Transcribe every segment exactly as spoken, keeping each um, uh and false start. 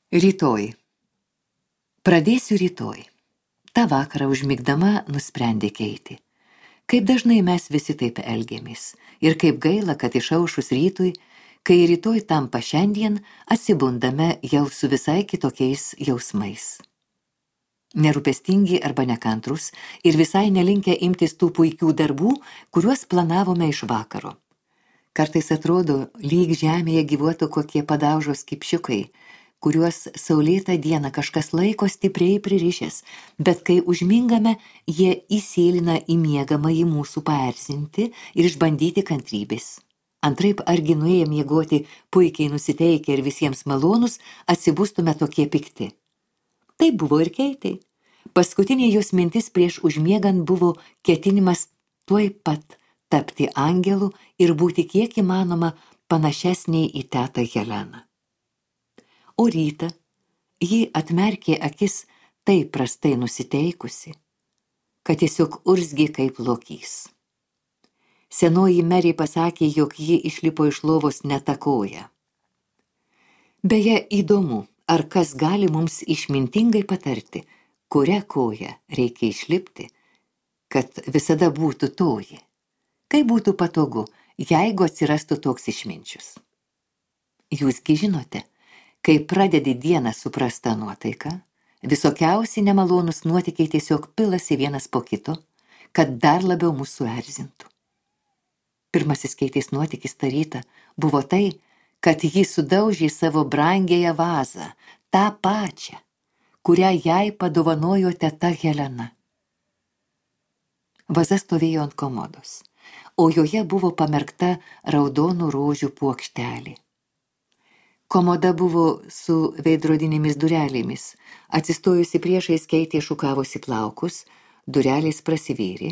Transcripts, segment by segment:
Rytoj. Pradėsiu rytoj. Ta vakarą užmigdama nusprendė Keitė. Kaip dažnai mes visi taip elgiamės. Ir kaip gaila, kad išaušus rytui, kai rytoj tampa šiandien, atsibundame jau su visai kitokiais jausmais. Nerūpestingi arba nekantrus ir visai nelinkę imtis tų puikių darbų, kuriuos planavome iš vakaro. Kartais atrodo, lyg žemėje gyvuotų kokie padaužos kipšiukai, kuriuos saulėtą dieną kažkas laiko stipriai pririšęs, bet kai užmingame, jie įsėlina į miegamąjį mūsų paerzinti ir išbandyti kantrybės. Antraip argi nuėję miegoti puikiai nusiteikę ir visiems malonus, atsibustume tokie pikti. Tai buvo ir Keitei. Paskutinė jos mintis prieš užmiegant buvo ketinimas tuoj pat tapti angelu ir būti kiek įmanoma panašesniai į tetą Heleną. O rytą ji atmerkė akis taip prastai nusiteikusi, kad tiesiog urzgė kaip lokys. Senoji Merė pasakė, jog ji išlipo iš lovos netakoja. Beje, įdomu, ar kas gali mums išmintingai patarti, kurią koją reikia išlipti, kad visada būtų toji. Kaip būtų patogu, jeigu atsirastų toks išminčius. Jūsgi žinote, kai pradedi dieną su prasta nuotaika, visokiausi nemalonus nuotykiai tiesiog pilasi vienas po kito, kad dar labiau mūsų erzintų. Pirmasis Keitės nuotykis tą rytą buvo tai, kad ji sudaužė savo brangiąją vazą, tą pačią, kurią jai padovanojo teta Helena. Vaza stovėjo ant komodos, o joje buvo pamerkta raudonų rožių puokštelė. Komoda buvo su veidrodinėmis durelėmis. Atsistojusi priešais Keitė šukavosi plaukus, durelės prasivėrė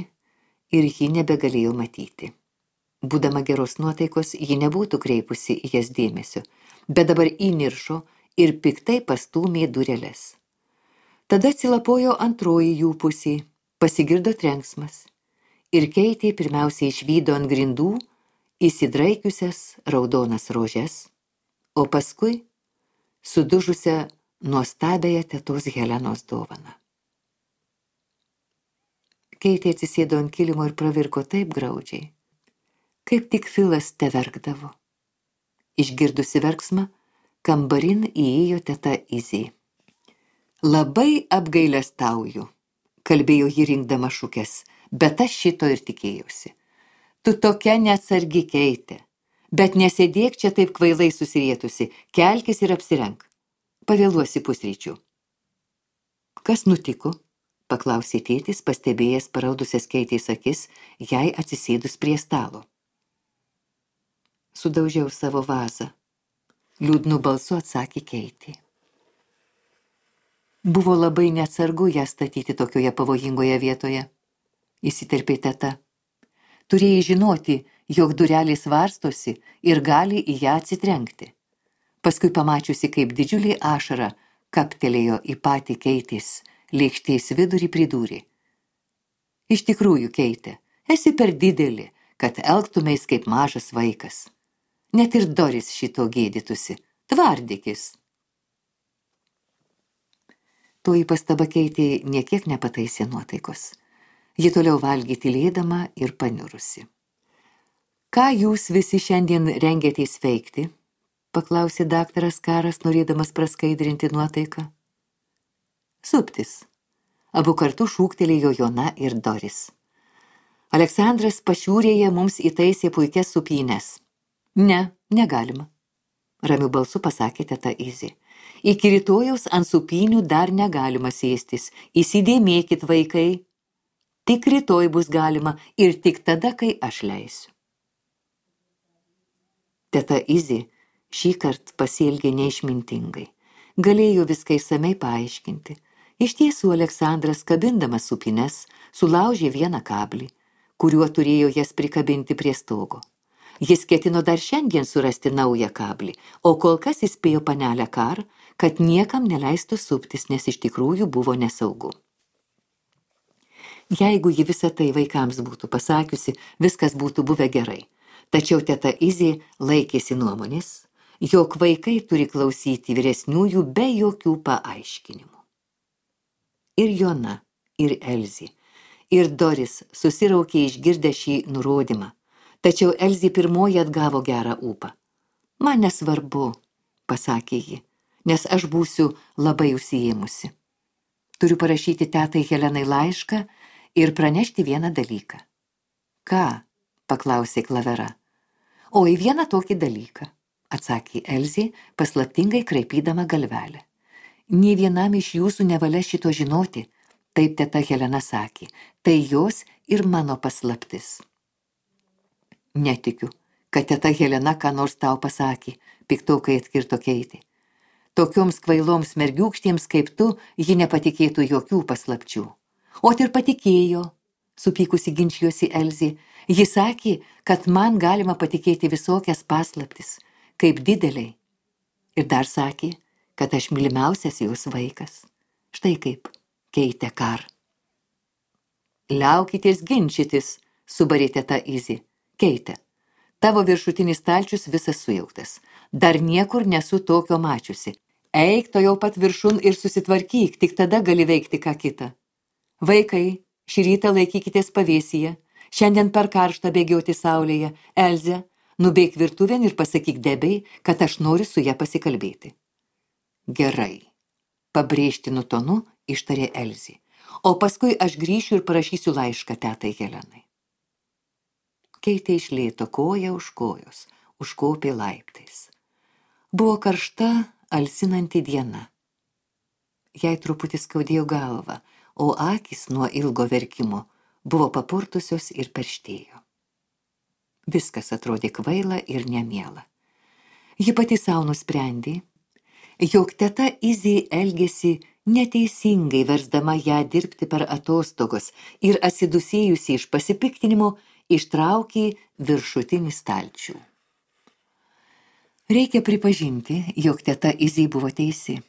ir ji nebegalėjo matyti. Būdama geros nuotaikos, ji nebūtų kreipusi į jas dėmesio, bet dabar įniršo ir piktai pastūmė dureles. Tada atsilapojo antroji jų pusė, pasigirdo trenksmas ir Keitė pirmiausiai išvydo ant grindų įsidraikiusias raudonas rožes, o paskui sudužusią nuostabiąją tetos Helenos dovaną. Keitė atsisėdo ant kilimo ir pravirko taip graudžiai, kaip tik Filas teverkdavo. Išgirdusi verksmą, kambarin įėjo teta Izė. Labai apgailestauju, kalbėjo ji rinkdama šukes, bet aš šito ir tikėjausi. Tu tokia neatsargi, Keitė. Bet nesėdėk čia taip kvailai susirietusi, kelkis ir apsirenk. Pavėluosi pusryčių. Kas nutiko? Paklausė tėtis, pastebėjęs paraudusias Keitės akis, jai atsisėdus prie stalo. Sudaužiau savo vazą. Liūdnu balsu atsakė Keitė. Buvo labai neatsargu ją statyti tokioje pavojingoje vietoje, įsiterpė teta. Turėjai žinoti, jog durelės varstosi ir gali į ją atsitrenkti. Paskui pamačiusi, kaip didžiulį ašarą kaptelėjo į patį Keitės lėkštės vidurį pridūrė. Iš tikrųjų, Keitė, esi per didelį, kad elgtumeis kaip mažas vaikas. Net ir Doris šito gėdytusi. Tvardykis. Toji pastaba Keitė niekiek nepataisė nuotaikos. Ji toliau valgė tylėdama ir paniurusi. Ką jūs visi šiandien rengiatės veikti? Paklausė daktaras Karas, norėdamas praskaidrinti nuotaiką. Suptis. Abu kartu šūktelėjo Jona ir Doris. Aleksandras pašiūrėje mums įtaisė puikias supynes. Ne, negalima. Ramiu balsu pasakė teta Izė. Iki rytojaus ant supynių dar negalima sėstis. Įsidėmėkit, vaikai. Tik rytoj bus galima ir tik tada, kai aš leisiu. Teta Izė šį kart pasielgė neišmintingai. Galėjo viską išsamei paaiškinti. Iš tiesų Aleksandras, kabindamas supines, sulaužė vieną kablį, kuriuo turėjo jas prikabinti prie stogo. Jis ketino dar šiandien surasti naują kablį, o kol kas įspėjo panelę Kar, kad niekam neleistų suptis, nes iš tikrųjų buvo nesaugu. Jeigu ji visą tai vaikams būtų pasakiusi, viskas būtų buvę gerai. Tačiau teta Izė laikėsi nuomonės, jog vaikai turi klausyti vyresniųjų be jokių paaiškinimų. Ir Jona, ir Elzė, ir Doris susiraukė išgirdę šį nurodymą, tačiau Elzė pirmoji atgavo gerą ūpą. Man nesvarbu, pasakė ji, nes aš būsiu labai užsiėmusi. Turiu parašyti tetai Helenai laišką ir pranešti vieną dalyką. Ką? Paklausė Klavera. O į vieną tokį dalyką, atsakė Elzė, paslaptingai kraipydama galvelę. Nė vienam iš jūsų nevalia šito žinoti, taip teta Helena sakė, tai jos ir mano paslaptis. Netikiu, kad teta Helena ką nors tau pasakė, piktokai atkirto Keitė. Tokioms kvailoms mergiūkštiems kaip tu, ji nepatikėtų jokių paslapčių. O ir patikėjo, supykusi ginčijosi Elzė. Ji sakė, kad man galima patikėti visokias paslaptis, kaip dideliai. Ir dar sakė, kad aš mylimiausias jos vaikas. Štai kaip, Keitė Kar. Liaukitės ginčytis, subarė teta Izė. Keitė, tavo viršutinis stalčius visas sujauktas. Dar niekur nesu tokio mačiusi. Eik to jau pat viršun ir susitvarkyk, tik tada gali veikti ką kitą. Vaikai, šį rytą laikykitės pavėsyje. Šiandien per karštą bėgioti saulėje. Elze, nubėk virtuvėn ir pasakyk Debei, kad aš noriu su ja pasikalbėti. Gerai, pabrėžtinu tonu ištarė Elzė. O paskui aš grįšiu ir parašysiu laišką tetai Helenai. Keitė iš lėto koja už kojos, užkopė laiptais. Buvo karšta, alsinanti diena. Jai truputį skaudėjo galvą, o akys nuo ilgo verkimo buvo papurtusios ir perštėjo. Viskas atrodė kvaila ir nemiela. Ji pati savo nusprendė, jog teta Izė elgėsi neteisingai versdama ją dirbti per atostogos ir atsidusėjusi iš pasipiktinimo ištraukė viršutinį stalčių. Reikia pripažinti, jog teta Izė buvo teisi.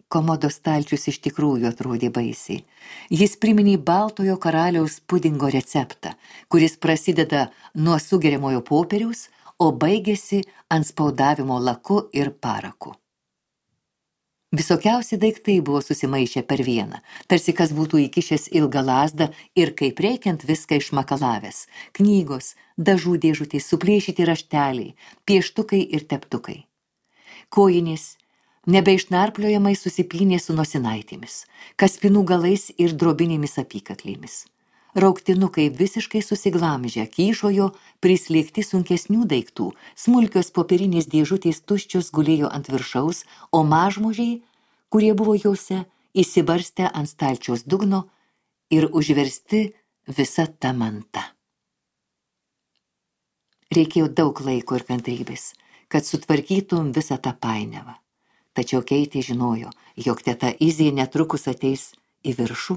Komodos stalčius iš tikrųjų atrodė baisiai. Jis priminė baltojo karaliaus pudingo receptą, kuris prasideda nuo sugeriamojo popieriaus, o baigėsi ant spaudavimo laku ir paraku. Visokiausi daiktai buvo susimaišę per vieną, tarsi kas būtų įkišęs ilgą lazdą ir kaip reikiant viską išmakalavęs. Knygos, dažų dėžutės, suplėšyti rašteliai, pieštukai ir teptukai. Kojinės nebeišnarpliojamai susipynė su nosinaitėmis, kaspinų galais ir drobinėmis apykaklėmis. Rauktinukai visiškai susiglamžę, kyšojo prislėgti sunkesnių daiktų, smulkios popierinės dėžutės tuščios gulėjo ant viršaus, o mažmožiai, kurie buvo jose, įsibarstę ant stalčiaus dugno ir užversti visa ta manta. Reikėjo daug laiko ir kantrybės, kad sutvarkytum visą tą painiavą. Tačiau Keitė žinojo, jog teta Izė netrukus ateis į viršų,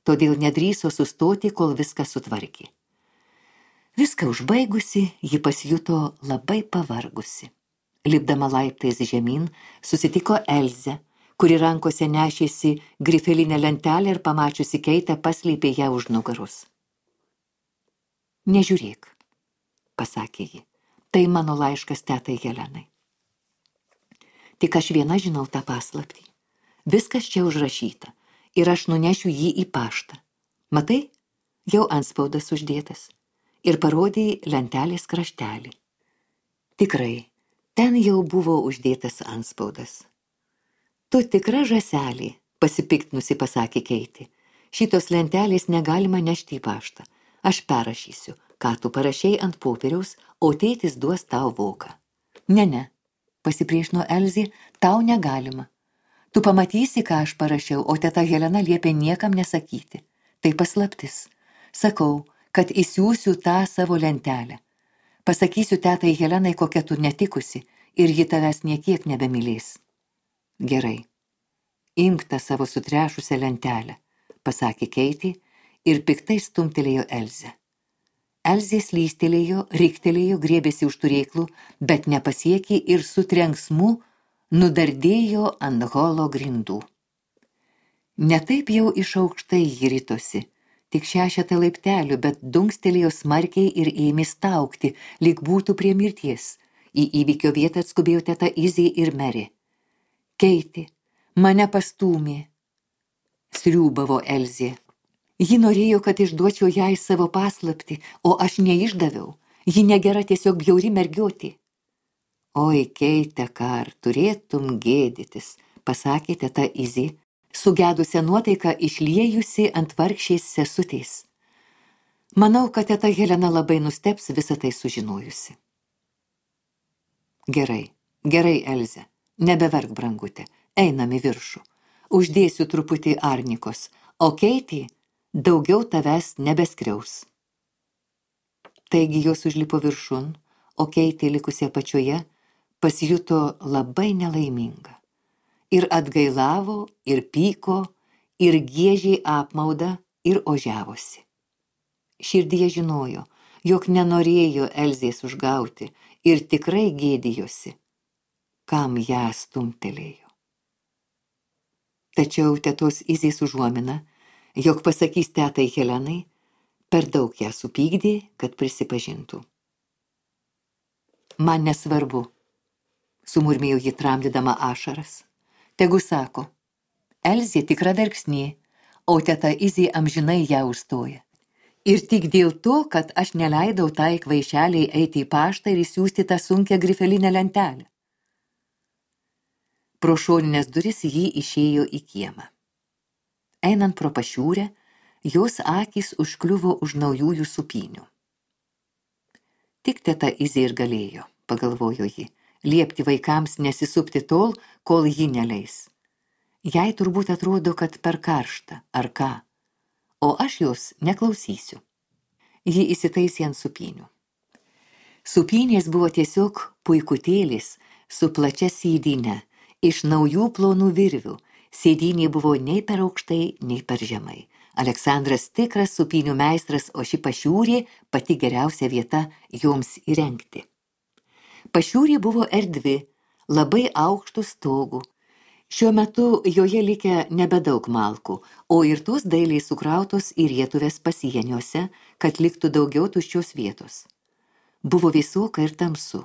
todėl nedrįso sustoti, kol viską sutvarkė. Viską užbaigusi, ji pasijuto labai pavargusi. Lipdama laiptais žemyn, susitiko Elzę, kuri rankose nešėsi grifelinę lentelę ir pamačiusi Keitę paslėpė ją už nugaros. Nežiūrėk, pasakė ji, tai mano laiškas tetai Helenai. Tik aš viena žinau tą paslaptį. Viskas čia užrašyta ir aš nunešiu jį į paštą. Matai, jau antspaudas uždėtas ir parodė lentelės kraštelį. Tikrai, ten jau buvo uždėtas antspaudas. Tu tikra žąselė, pasipiktinusi pasakė Keitė. Šitos lentelės negalima nešti į paštą. Aš perrašysiu, ką tu parašei ant popieriaus, o tėtis duos tau voką. Ne, ne. Pasipriešino Elzė, tau negalima. Tu pamatysi, ką aš parašiau, o teta Helena liepė niekam nesakyti. Tai paslaptis. Sakau, kad įsiųsiu tą savo lentelę. Pasakysiu tetai Helenai, kokia tu netikusi, ir ji tavęs niekiek nebemylės. Gerai. Imk tą savo sutrešusią lentelę, pasakė Keitė ir piktai stumtelėjo Elzę. Elzė slystelėjo, riktelėjo, griebėsi už turėklų, bet nepasiekė ir su trenksmu nudardėjo ant holo grindų. Netaip jau iš aukštai ji ritosi, tik šešetą laiptelių, bet dunkstelėjo smarkiai ir ėmė staugti, lyg būtų prie mirties. Į įvykio vietą atskubėjo teta Izė ir Meri. Keiti, mane pastūmė, sriūbavo Elzė. Ji norėjo, kad išduočiau jai savo paslaptį, o aš neišdaviau. Ji negera, tiesiog bjauri mergiotė. Oi, Keite, kar, turėtum gėdytis, pasakė teta Izė, sugedusią nuotaiką išliejusi ant vargšės sesutės. Manau, kad teta Helena labai nustebs visą tai sužinojusi. Gerai, gerai, Elze, nebeverk, brangutė, einam į viršų. Uždėsiu truputį arnikos, o Keitė daugiau tavęs nebeskriaus. Taigi jos užlipo viršun, o Keitė likusi apačioje pasijuto labai nelaiminga. Ir atgailavo, ir pyko, ir giežė apmaudą, ir ožiavosi. Širdyje žinojo, jog nenorėjo Elzės užgauti ir tikrai gėdijosi, kam ją stumtelėjo. Tačiau tetos Izės užuomina, jog pasakys tetai Helenai, per daug ją supykdė, kad prisipažintų. Man nesvarbu, sumurmėjo ji tramdydama ašaras. Tegu sako, Elzė tikra verksnė, o teta Izė amžinai ją užstoja. Ir tik dėl to, kad aš neleidau tai kvaišeliai eiti į paštą ir įsiųsti tą sunkią grifelinę lentelę. Pro šoninės duris jį išėjo į kiemą. Einant pro pašiūrę, jos akys užkliuvo už naujųjų supynių. Tik teta Izė ir galėjo, pagalvojo ji, liepti vaikams nesisupti tol, kol ji neleis. Jai turbūt atrodo, kad per karšta, ar ką, o aš jos neklausysiu. Ji įsitaisė ant supynių. Supynės buvo tiesiog puikutėlis su plačia sėdyne, iš naujų plonų virvių. Sėdynė buvo nei per aukštai, nei per žemai. Aleksandras tikras supynių meistras, o ši pašiūrė pati geriausia vieta joms įrengti. Pašiūrė buvo erdvi, labai aukštų stogų. Šiuo metu joje likę nebedaug malkų, o ir tos dailiai sukrautos į rietuvės pasieniuose, kad liktų daugiau tuščios vietos. Buvo vėsoka ir tamsu,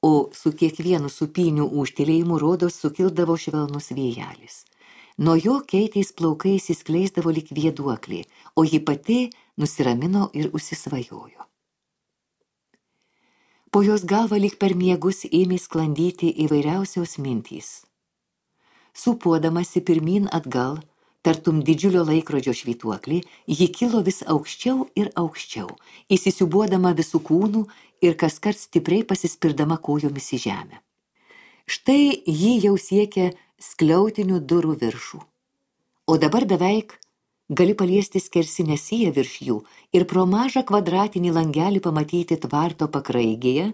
o su kiekvienu supynių ūžtelėjimu rodos sukildavo švelnus vėjelis. Nuo jo Keitės plaukai įsiskleisdavo lyg vėduoklė, o ji pati nusiramino ir užsisvajojo. Po jos galva lyg per miegus ėmė sklandyti įvairiausios mintys. Sūpuodamasi pirmyn atgal, tartum didžiulio laikrodžio švytuoklį, ji kilo vis aukščiau ir aukščiau, įsisiūbuodama visų kūnų ir kaskart stipriai pasispirdama kojomis į žemę. Štai ji jau siekia skliautinių durų viršų. O dabar beveik gali paliesti skersinę siją virš jų ir pro mažą kvadratinį langelį pamatyti tvarto pakraigėje,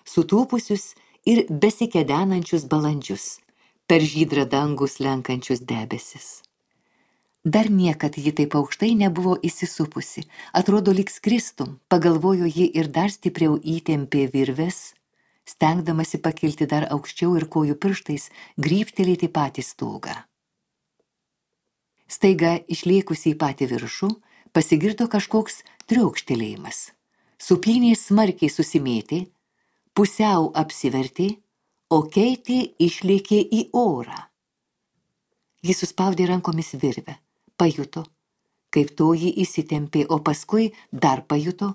sutūpusius ir besikedenančius balandžius, per žydrą dangų slenkančius debesis. Dar niekad ji taip aukštai nebuvo įsisupusi, atrodo lyg skristum, pagalvojo ji ir dar stipriau įtempė virves, stengdamasi pakilti dar aukščiau ir kojų pirštais grybštelėti patį stogą. Staiga išlėkusi į patį viršų, pasigirdo kažkoks triaukštelėjimas. Supynės smarkiai susimėtė, pusiau apsivertė, o Keitė išlėkė į orą. Jis suspaudė rankomis virvę, pajuto, kaip toji įsitempė, o paskui dar pajuto,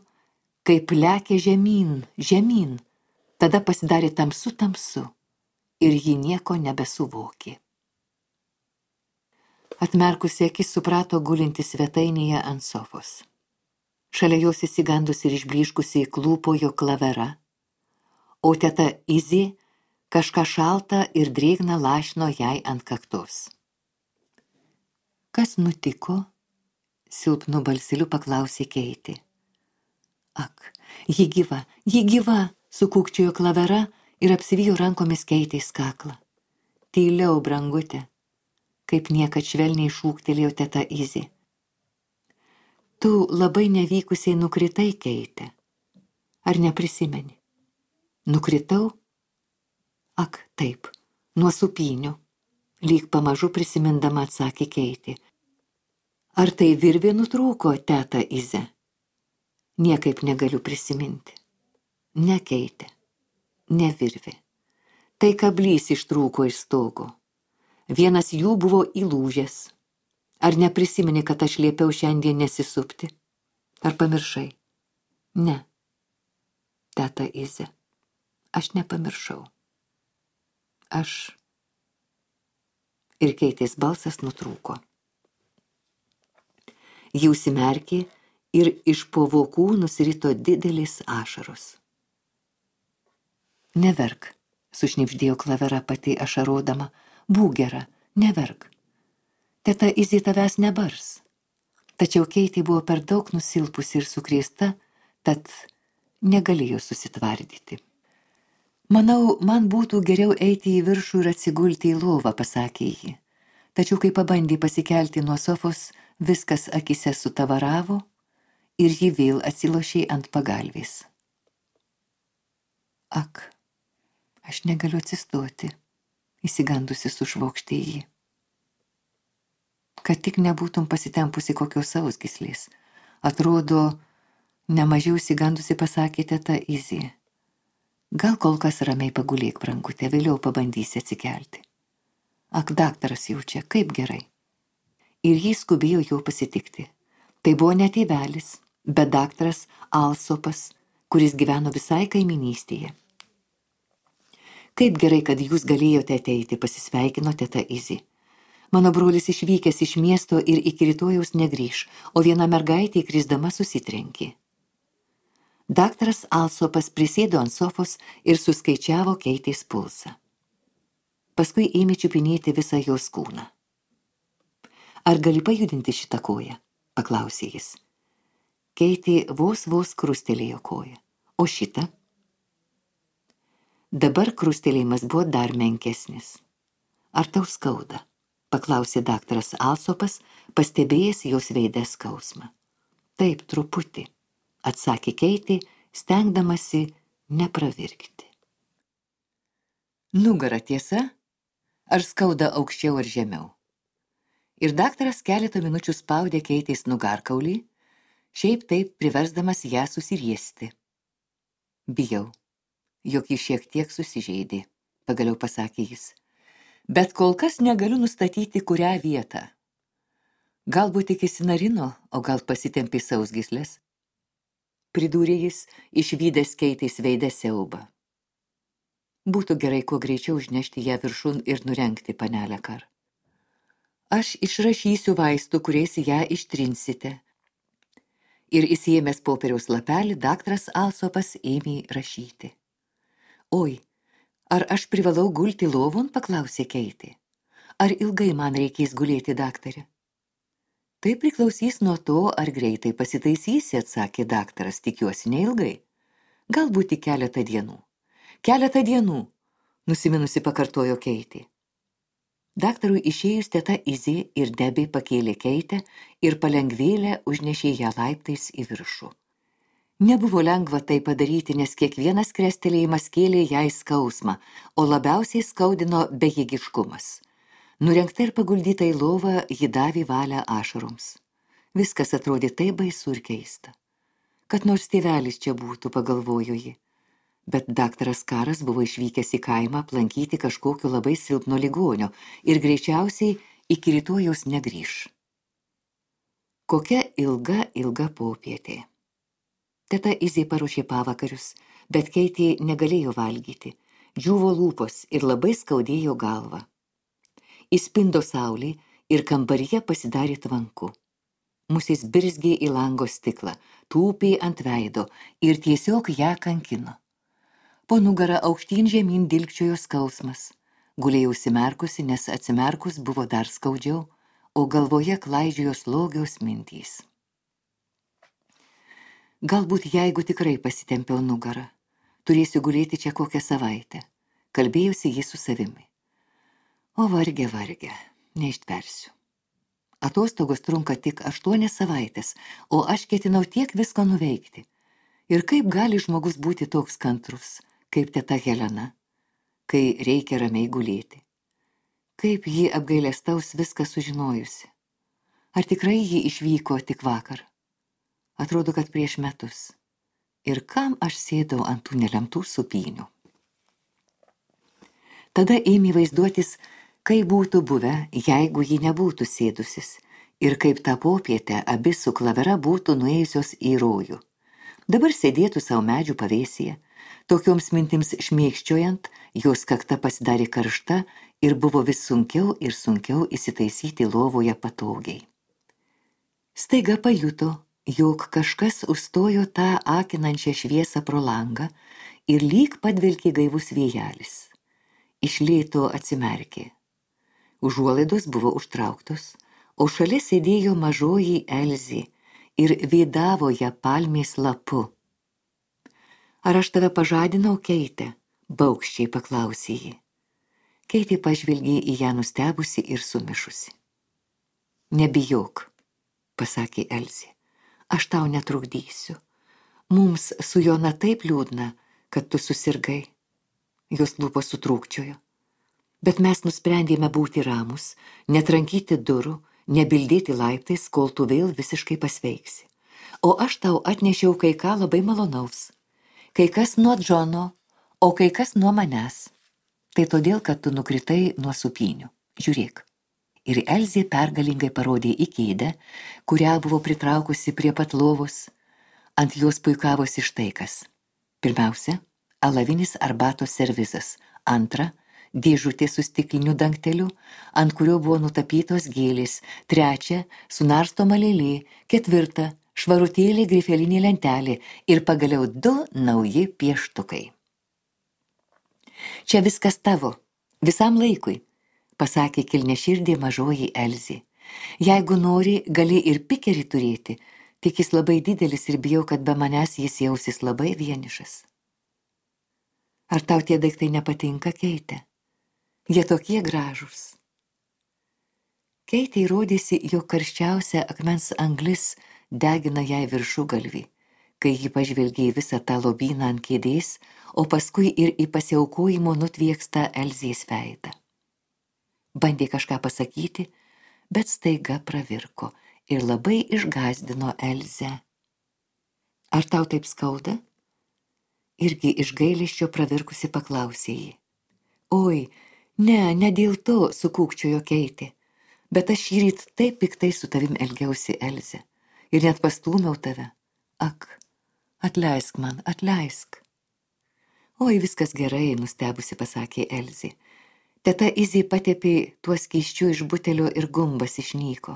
kaip lekia žemyn, žemyn. Tada pasidarė tamsu tamsu ir ji nieko nebesuvokė. Atmerkusi akis suprato gulinti svetainėje ant sofos. Šalia jos įsigandusi ir išblyškusi klūpojo Klavera, o teta Izė kažką šaltą ir drėgną lašino jai ant kaktos. Kas nutiko? Silpnu balseliu paklausė Keitė. Ak, ji gyva, ji gyva! Sukūkčiojo Klavera ir apsivijo rankomis Keitės kaklą. Tyliau, brangutė, kaip niekad švelniai šūktelėjo teta Izė. Tu labai nevykusiai nukritai, Keite. Ar neprisimeni? Nukritau? Ak, taip, nuo supynių, lyg pamažu prisimindama atsakė Keitė. Ar tai virvė nutrūko, teta Izė? Niekaip negaliu prisiminti. Ne, Keitė. ne virvė. Tai kablys ištrūko iš stogo. Vienas jų buvo įlūžęs. Ar neprisimeni, kad aš liepiau šiandien nesisupti? Ar pamiršai? Ne. Teta Ize, aš nepamiršau. Aš... Ir Keitės balsas nutrūko. Ji užsimerkė ir iš po vokų nusirito didelis ašaros. Neverk, sušnibždėjo Klavera pati ašarodama. Būk gera, neverk. Teta Izė tavęs nebars. Tačiau Keitė buvo per daug nusilpusi ir sukrėsta, tad negalėjo susitvardyti. Manau, man būtų geriau eiti į viršų ir atsigulti į lovą, pasakė ji. Tačiau kai pabandė pasikelti nuo sofos, viskas akise sutavaravo ir ji vėl atsilošė ant pagalvės. Ak, aš negaliu atsistoti, įsigandusi sušvokštė ji. Kad tik nebūtum pasitempusi kokios sausgyslės. Atrodo, nemažiau įsigandusi pasakė teta Izė. Gal kol kas ramiai pagulėk, brangutė, vėliau pabandysi atsikelti. Ak, daktaras jaučia, kaip gerai. Ir jis skubėjo jo pasitikti. Tai buvo ne tėvelis, bet daktaras Alsopas, kuris gyveno visai kaiminystėje. Kaip gerai, kad jūs galėjote ateiti, pasisveikino teta Izė. Mano brolis išvykęs iš miesto ir iki rytojaus negrįš, o viena mergaitė krisdama susitrenkė. Daktaras Alsopas prisėdo ant sofos ir suskaičiavo Keitės pulsą. Paskui ėmė čiupinėti visą jos kūną. Ar gali pajudinti šitą koją? Paklausė jis. Keitė vos vos krustelėjo koją. O šitą? Dabar krustelėjimas buvo dar menkesnis. Ar tau skauda? Paklausė daktaras Alsopas, pastebėjęs jos veide skausmą. Taip, truputį, atsakė Keitė, stengdamasi nepravirkti. Nugara, tiesa? Ar skauda aukščiau ar žemiau? Ir daktaras keletą minučių spaudė Keitės nugarkaulį, šiaip taip priversdamas ją susiriesti. Bijau, jog ji šiek tiek susižeidė, pagaliau pasakė jis. Bet kol kas negaliu nustatyti, kurią vietą. Galbūt tik įsinarino, o gal pasitempė sausgyslės. Pridūrė jis, išvydęs Keitės veidę siaubą. Būtų gerai kuo greičiau užnešti ją viršun ir nurengti, panelę Kar. Aš išrašysiu vaistų, kuriais ją ištrinsite. Ir įsiėmęs popieriaus lapelį, daktaras Alsopas ėmė rašyti. Oi, ar aš privalau gulti lovon, paklausė Keitė. Ar ilgai man reikės gulėti, daktarė? Tai priklausys nuo to, ar greitai pasitaisysi, atsakė daktaras, tikiuosi neilgai. Galbūt tik keletą dienų. Keletą dienų, nusiminusi pakartojo Keitė. Daktarui išėjus teta Izė ir Debė pakėlė Keitę ir palengvėlę užnešė ją laiptais į viršų. Nebuvo lengva tai padaryti, nes kiekvienas krestelėjimas kėlė jai skausmą, o labiausiai skaudino bejėgiškumas. Nurengta ir paguldyta į lovą, ji davė valią ašaroms. Viskas atrodė taip baisu ir keista. Kad nors tėvelis čia būtų, pagalvojo ji. Bet daktaras Karas buvo išvykęs į kaimą aplankyti kažkokio labai silpno ligonio ir greičiausiai iki rytojaus negrįš. Kokia ilga, ilga popietė. Teta Izė paruošė pavakarius, bet Keitė negalėjo valgyti, džiūvo lūpos ir labai skaudėjo galvą. Įspindo saulė ir kambaryje pasidarė tvanku. Musės birzgė į lango stiklą, tūpė ant veido ir tiesiog ją kankino. Po nugarą aukštyn žemyn dilgčiojo skausmas. Gulėjau užsimerkusi, nes atsimerkus buvo dar skaudžiau, o galvoje klaidžiojo slogios mintys. Galbūt jeigu tikrai pasitempiau nugarą, turėsiu gulėti čia kokią savaitę, kalbėjusi jį su savimi. O varge, varge, neištversiu. Atostogos trunka tik aštuonias savaitės, o aš ketinau tiek visko nuveikti. Ir kaip gali žmogus būti toks kantrus, kaip teta Helena, kai reikia ramiai gulėti? Kaip ji apgailestaus viską sužinojusi? Ar tikrai ji išvyko tik vakar? Atrodo, kad prieš metus. Ir kam aš sėdau ant tų nelemtų supynių? Tada ėmė vaizduotis, kaip būtų buvę, jeigu ji nebūtų sėdusis, ir kaip tą popietę abi su Klavera būtų nuėjusios į rojų. Dabar sėdėtų savo medžių pavėsyje. Tokioms mintims šmėkščiojant, jos kakta pasidarė karšta ir buvo vis sunkiau ir sunkiau įsitaisyti lovoje patogiai. Staiga pajuto, jog kažkas užstojo tą akinančią šviesą pro langą ir lyg padvelkė gaivus vėjelis. Iš lėto atsimerkė. Užuolaidos buvo užtrauktos, o šalia sėdėjo mažoji Elzė ir vėdavo ją palmės lapu. Ar aš tave pažadinau, Keite? Baugščiai paklausė ji. Keitė pažvelgė į ją nustebusi ir sumišusi. Nebijok, pasakė Elzė, aš tau netrukdysiu. Mums su Jona taip liūdna, kad tu susirgai. Jos lūpos sutrūkčiojo. Bet mes nusprendėme būti ramus, netrankyti durų, nebildėti laiptais, kol tu vėl visiškai pasveiksi. O aš tau atnešiau kai ką labai malonaus. Kai kas nuo Džono, o kai kas nuo manęs. Tai todėl, kad tu nukritai nuo supynių. Žiūrėk. Ir Elzė pergalingai parodė į kėdę, kurią buvo pritraukusi prie pat lovos. Ant jos puikavosi štai kas. Pirmiausia, alavinis arbatos servizas. Antra, dėžutė su stikliniu dangteliu, ant kurio buvo nutapytos gėlės. Trečia, sunarstoma lėlė. Ketvirta, švarutėlė grifelinė lentelė. Ir pagaliau du nauji pieštukai. Čia viskas tavo, visam laikui, pasakė kilniaširdė mažoji Elzė. Jeigu nori, gali ir pikerį turėti, tik jis labai didelis ir bijau, kad be manęs jis jausis labai vienišas. Ar tau tie daiktai nepatinka, Keite? Jie tokie gražūs. Keitei rodėsi, jog karščiausia akmens anglis degina jai viršugalvį, kai ji pažvelgė į visą tą lobyną ant kėdės, o paskui ir į pasiaukojimo nutviekstą Elzės veidą. Bandė kažką pasakyti, bet staiga pravirko ir labai išgąsdino Elzę. Ar tau taip skauda? Irgi iš gailesčio pravirkusi paklausė jį. Oi, ne, ne dėl to, sukūkčiojo Keitė, bet aš šįryt taip piktai su tavim elgiausi, Elze, ir net pastūmiau tave. Ak, atleisk man, atleisk. Oi, viskas gerai, nustebusi pasakė Elzė. Teta Izė patepė tuo skysčiu iš butelio ir gumbas išnyko.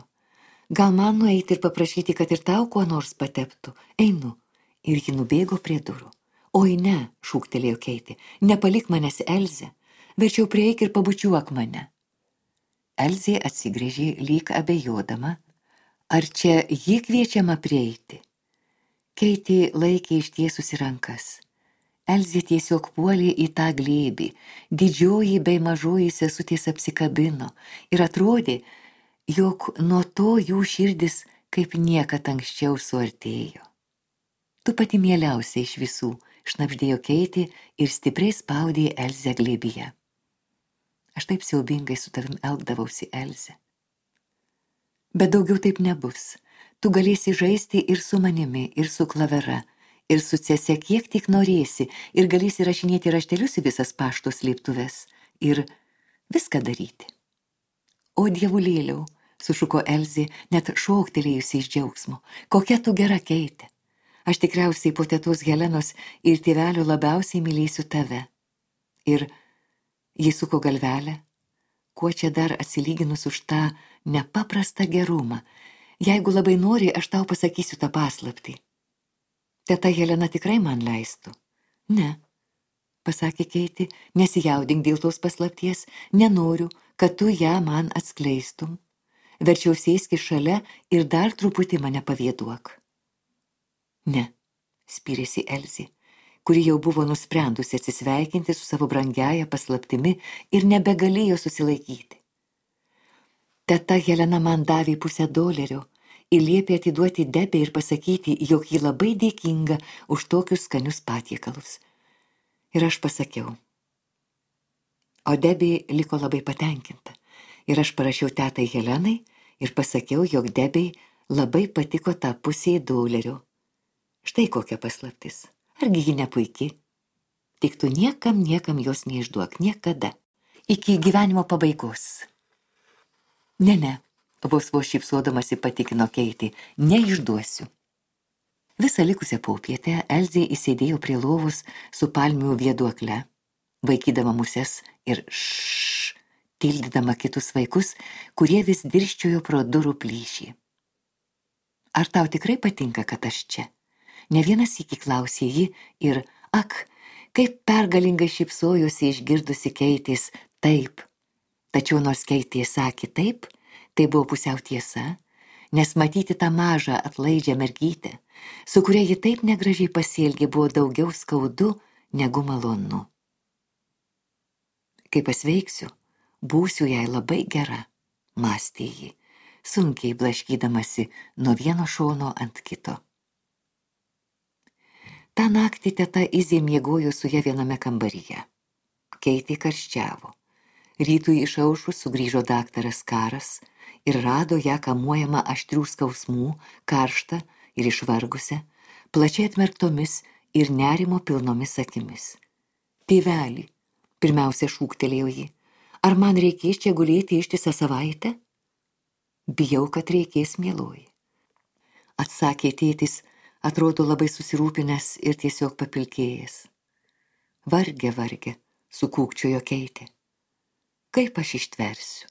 Gal man nueiti ir paprašyti, kad ir tau kuo nors pateptų? Einu. Ir ji nubėgo prie durų. Oi ne, šūktelėjo Keitė, nepalik manęs, Elze, verčiau prieik ir pabučiuok mane. Elzė atsigręžė lyg abejodama, ar čia ji kviečiama prieiti. Keitė laikė ištiesusi rankas. Elzė tiesiog puolė į tą glėbį, didžioji bei mažoji sesutės apsikabino ir atrodė, jog nuo to jų širdis kaip niekad anksčiau suartėjo. Tu pati mieliausia iš visų, šnabždėjo Keitė ir stipriai spaudė Elzę glėbyje. Aš taip siaubingai su tavim elgdavausi, Elze. Bet daugiau taip nebus. Tu galėsi žaisti ir su manimi, ir su Klavera, ir su sese kiek tik norėsi, ir galėsi rašinėti raštelius į visas pašto slėptuves, ir viską daryti. O dievulėliau, sušuko Elzė, net šoktelėjusi iš džiaugsmo, kokia tu gera, Keitė. Aš tikriausiai po tetos Helenos ir tėvelio labiausiai mylėsiu tave. Ir jis suko galvelę, kuo čia dar atsilyginus už tą nepaprastą gerumą. Jeigu labai nori, aš tau pasakysiu tą paslaptį. Teta Helena tikrai man leistų. Ne, pasakė Keitė, nesijaudink dėl tos paslapties, nenoriu, kad tu ją man atskleistum. Verčiau sėski šalia ir dar truputį mane pavėduok. Ne, spyrėsi Elzė, kuri jau buvo nusprendusi atsisveikinti su savo brangiaja paslaptimi ir nebegalėjo susilaikyti. Teta Helena man davė pusę dolerio ir liepė atiduoti Debę ir pasakyti, jog ji labai dėkinga už tokius skanius patiekalus. Ir aš pasakiau. O Debė liko labai patenkinta. Ir aš parašiau tetai Helenai ir pasakiau, jog Debei labai patiko tą pusė dolerio. Štai kokia paslaptis. Argi ji nepuiki? Tik tu niekam, niekam jos neišduok, niekada. Iki gyvenimo pabaigos. Ne, ne, vos vos šypsodamasi patikino Keitė, neišduosiu. Visą likusią popietę Elzė įsėdėjo prie lovos su palmių vėduokle, vaikydama muses ir šš, tildydama kitus vaikus, kurie vis dirščiojo pro durų plyšį. Ar tau tikrai patinka, kad aš čia? Ne vienas sykį klausė ji ir, ak, kaip pergalingai šypsojosi išgirdusi Keitės taip. Tačiau nors Keitė sakė taip, tai buvo pusiau tiesa, nes matyti tą mažą atlaidžią mergytę, su kuria ji taip negražiai pasielgė, buvo daugiau skaudu negu malonu. Kai pasveiksiu, būsiu jai labai gera, mąstė ji, sunkiai blaškydamasi nuo vieno šono ant kito. Ta naktį teta Izė miegojo su ja viename kambaryje. Keitė karščiavo. Rytui išaušus sugrįžo daktaras Karas ir rado ją kamuojamą aštrių skausmų, karštą ir išvargusią, plačiai atmerktomis ir nerimo pilnomis akimis. Tėveli, pirmiausia šūktelėjo ji, ar man reikės čia gulėti ištisą savaitę? Bijau, kad reikės, mieloji. Atsakė tėtis, atrodo labai susirūpinęs ir tiesiog papilkėjęs. Varge, varge, sukūkčiojo Keitė. Kaip aš ištversiu?